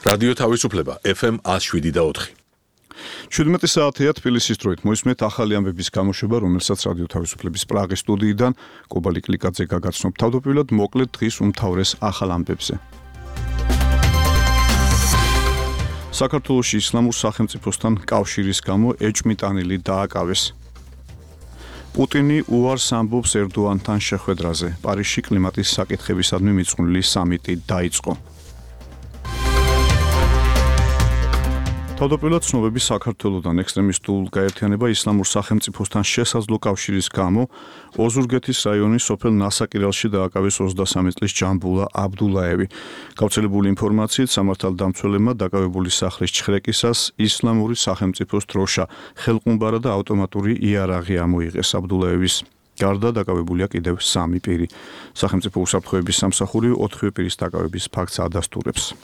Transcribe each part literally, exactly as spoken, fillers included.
რადიო თავისუფლება ეფ ემ one oh seven და four. შვიდმეტი საათია თბილისის დროით მოისმენთ ახალი ამბების გამოშვება, რომელსაც რადიო თავისუფლების პრაღის სტუდიიდან კობა ლიკლიკაძე გაგაცნობ. თავდაპირველად მოკლედ დღის უმთავრეს ახალ ამბებზე. საქართველოში ისლამურ სახელმწიფოსთან კავშირის გამო ეჭვმიტანილი დააკავეს. პუტინი უარს ამბობს ერდოანთან შეხვედრაზე. პარიზში კლიმატის საკითხებისადმი მიძღვნილი სამიტი დაიწყო. თავდაპირველად ცნობები საქართველოდან ექსტრემისტულ გაერთიანება ისლამურ სახელმწიფოსთან შესაძლო კავშირის გამო ოზურგეთის რაიონის სოფელ ნასაკირალში დააკავეს ოცდასამი წლის ჯამბულა აბდულაევი. გავრცელებული ინფორმაციით სამართალდამცველებმა დაკავებული სახლის ჩხრეკისას ისლამური სახელმწიფოს დროშა, ხელყუმბარა და ავტომატური იარაღი ამოიღეს. აბდულაევის გარდა დაკავებულია კიდევ სამი პირი. სახელმწიფო უსაფრთხოების სამსახური ოთხივე პირის დაკავების ფაქტს ადასტურებს.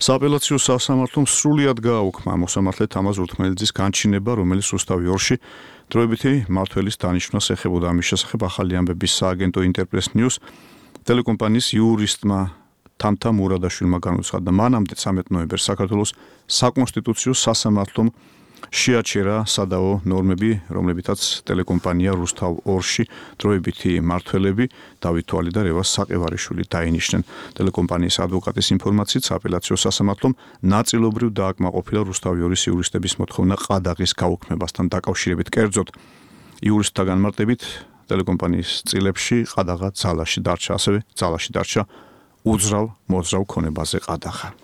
სააპელაციო სასამართლომ სრულად გააუქმა მოსამართლე თამაზ ურთმელიძის განჩინება, რომელიც რუსთავი ორში დროებითი მმართველის დანიშვნას ეხებოდა. ამის შესახებ ახალი ამბების სააგენტო ინტერპრეს ნიუს ტელეკომპანიის იურისტმა თამთა მურადაშვილმა განუცხადა. მანამდე ცამეტ ნოემბერს საქართველოს საკონსტიტუციო სასამართლომ შეაჩერა სადაო ნორმები, რომლებითაც ტელეკომპანია რუსთავ ორში დროებითი მმართველები დავით თვალი და რევაზ საყევარიშვილი დაინიშნენ. ტელეკომპანიის ადვოკატის ინფორმაციით სააპელაციო სასამართლომ ნაწილობრივ დააკმაყოფილა რუსთავი ორის იურისტების მოთხოვნა ყადაღის გაუქმებასთან დაკავშირებით. კერძოდ, იურისტთა განმარტებით ტელეკომპანიის წილებში ყადაღა ძალაში დარჩა, ასევე ძალაში დარჩა უძრავ მოძრავ ქონებაზე ყადაღა.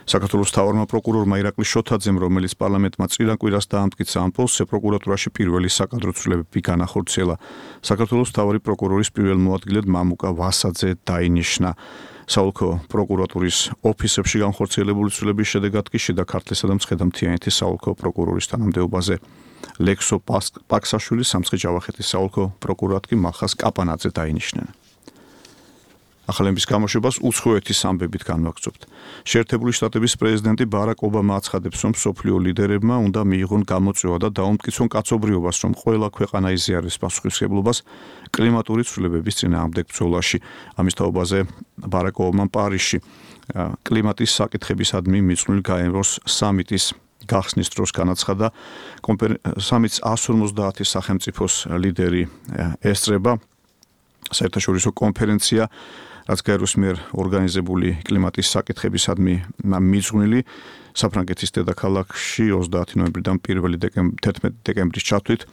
საქართველოს მთავარმა პროკურორმა ირაკლი შოთაძემ, რომელიც პარლამენტმა წინა კვირას დაამტკიცა ამ პოსტზე, პროკურატურაში პირველი საკადრო ცვლილებები განახორციელა. საქართველოს მთავარი პროკურორის პირველ მოადგილედ მამუკა ვასაძე დაინიშნა. საოლქო პროკურატურის ოფისებში განხორციელებული ცვლილებების შედეგად კი შიდა ქართლისა და მცხეთა-მთიანეთის საოლქო პროკურორის თანამდებობაზე ლექსო პაქსაშვილი, სამცხე-ჯავახეთის საოლქო პროკურორად კი მალხას კაპანაძე დაინიშნენ. ახალების გამოშვებას უცხოეთის ამბებით განვაგრძობთ. შეერთებული შტატების პრეზიდენტი ბარაკ ობამა აცხადებს, რომ მსოფლიო ლიდერებმა უნდა მიიღონ გამოწვევა და დაუმტკიცონ კაცობრიობას, რომ ყველა ქვეყანა იზიაროს პასუხისმგებლობას კლიმატური ცვლილებების წინააღმდეგ ბრძოლაში. ამის თაობაზე ბარაკ ობამამ პარიზში კლიმატის საკითხებისადმი მიძღვნილ გაეროს სამიტის გახსნის დროს განაცხადა, სამიტს one fifty სახელმწიფოს ლიდერი ესწრება. საერთაშორისო კონფერენცია, რაც გაეროს მიერ ორგანიზებული კლიმატის საკითხებისადმი მიძღვნილი საფრანგეთის დედაქალაქში ოცდაათი ნოემბრიდან პირველი თერთმეტი დეკემბრის ჩათვლით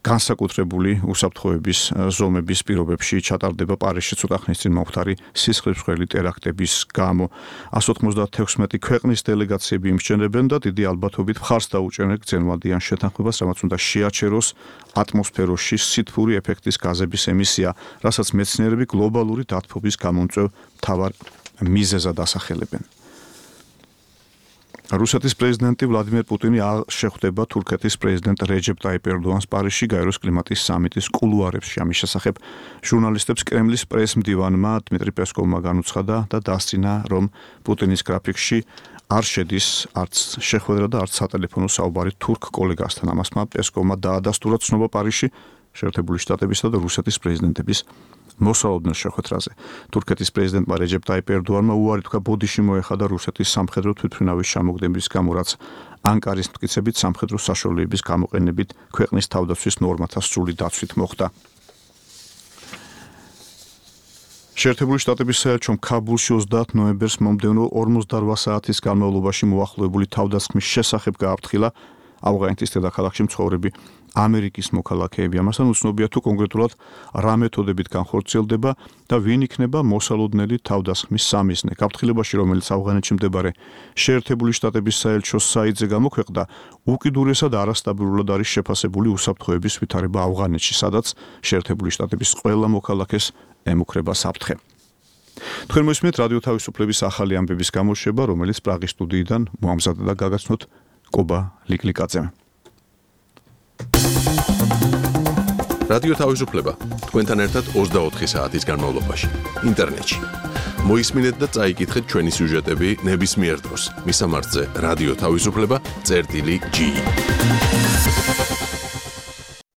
განსაკუთრებული უსაფრთხოების ზომების პირობებში ჩატარდება პარიზში ცოტა ხნის წინ მომხდარი სისხლისმღვრელი ტერაქტების გამო. one ninety-six ქვეყნის დელეგაციები იმსჯენებენ და დიდი ალბათობით მხარს დაუჭერენ გრძელვადიან შეთანხმებას, რამაც უნდა შეაჩეროს ატმოსფეროში სითბური ეფექტის გაზების ემისია, რასაც მეცნიერები გლობალური დათბობის გამომწვევ მთავარ მიზეზად ასახელებენ. რუსეთის პრეზიდენტი ვლადიმერ პუტინი შეხვდება თურქეთის პრეზიდენტ რეჯეპ ტაიპ ერდოანს პარიზში გაეროს კლიმატის სამიტის კულუარებში. ამის შესახებ ჟურნალისტებს კრემლის პრესმდივანმა დმიტრი პესკოვმა განუცხადა და დასწინა, რომ პუტინის გრაფიკში არ შედის არც შეხვედრა და არც სატელეფონო საუბარი თურქ კოლეგასთან. ამასმა პესკოვმა დაადასტურა ცნობა პარიზში შეერთებული შტატებისა და რუსეთის პრეზიდენტების მოსალოდნელ შეხვედრაზე. თურქეთის პრეზიდენტმა რეჯეპ ტაიპ ერდოანმა უარი თქვა ბოდიში მოეხადა რუსეთის სამხედრო თვითმფრინავის ჩამოგდების გამო, რაც ანკარის მტკიცებით სამხედრო საშუალებების გამოყენებით ქვეყნის თავდაცვის ნორმათა სრული დაცვით მოხდა. შეერთებული შტატების საელჩომ ქაბულში ოცდაათ ნოემბერს მომდევნო ორმოცდარვა საათის განმავლობაში მოახლოებული თავდასხმის შესახებ გააფრთხილა ავღანეთის დედაქალაქში მცხოვრები ამერიკის მოქალაქეები. ამასთან უცნობია თუ კონკრეტულად რა მეთოდებით განხორციელდება და ვინ იქნება მოსალოდნელი თავდასხმის სამიზნე. გაფრთხილებაში, რომელიც ავღანეთში მდებარე შეერთებული შტატების საელჩოს საიტზე გამოქვეყნდა, უკიდურესად არასტაბილურად არის შეფასებული უსაფრთხოების ვითარება ავღანეთში, სადაც შეერთებული შტატების ყველა მოქალაქეს ემუქრება საფრთხე. თქვენ მოისმენთ რადიო თავისუფლების ახალი ამბების გამოშვება, რომელიც პრაღის სტუდიიდან მოამზადა და გაგაცნოთ კობა ლიკლიკაძემ. რადიო თავისუფლება თქვენთან ერთად ოცდაოთხი საათის განმავლობაში ინტერნეტში. მოისმინეთ და წაიკითხეთ ჩვენი სიუჟეტები ნებისმიერ დროს. მისამართზე რადიო თავისუფლება წერტილი ჯი.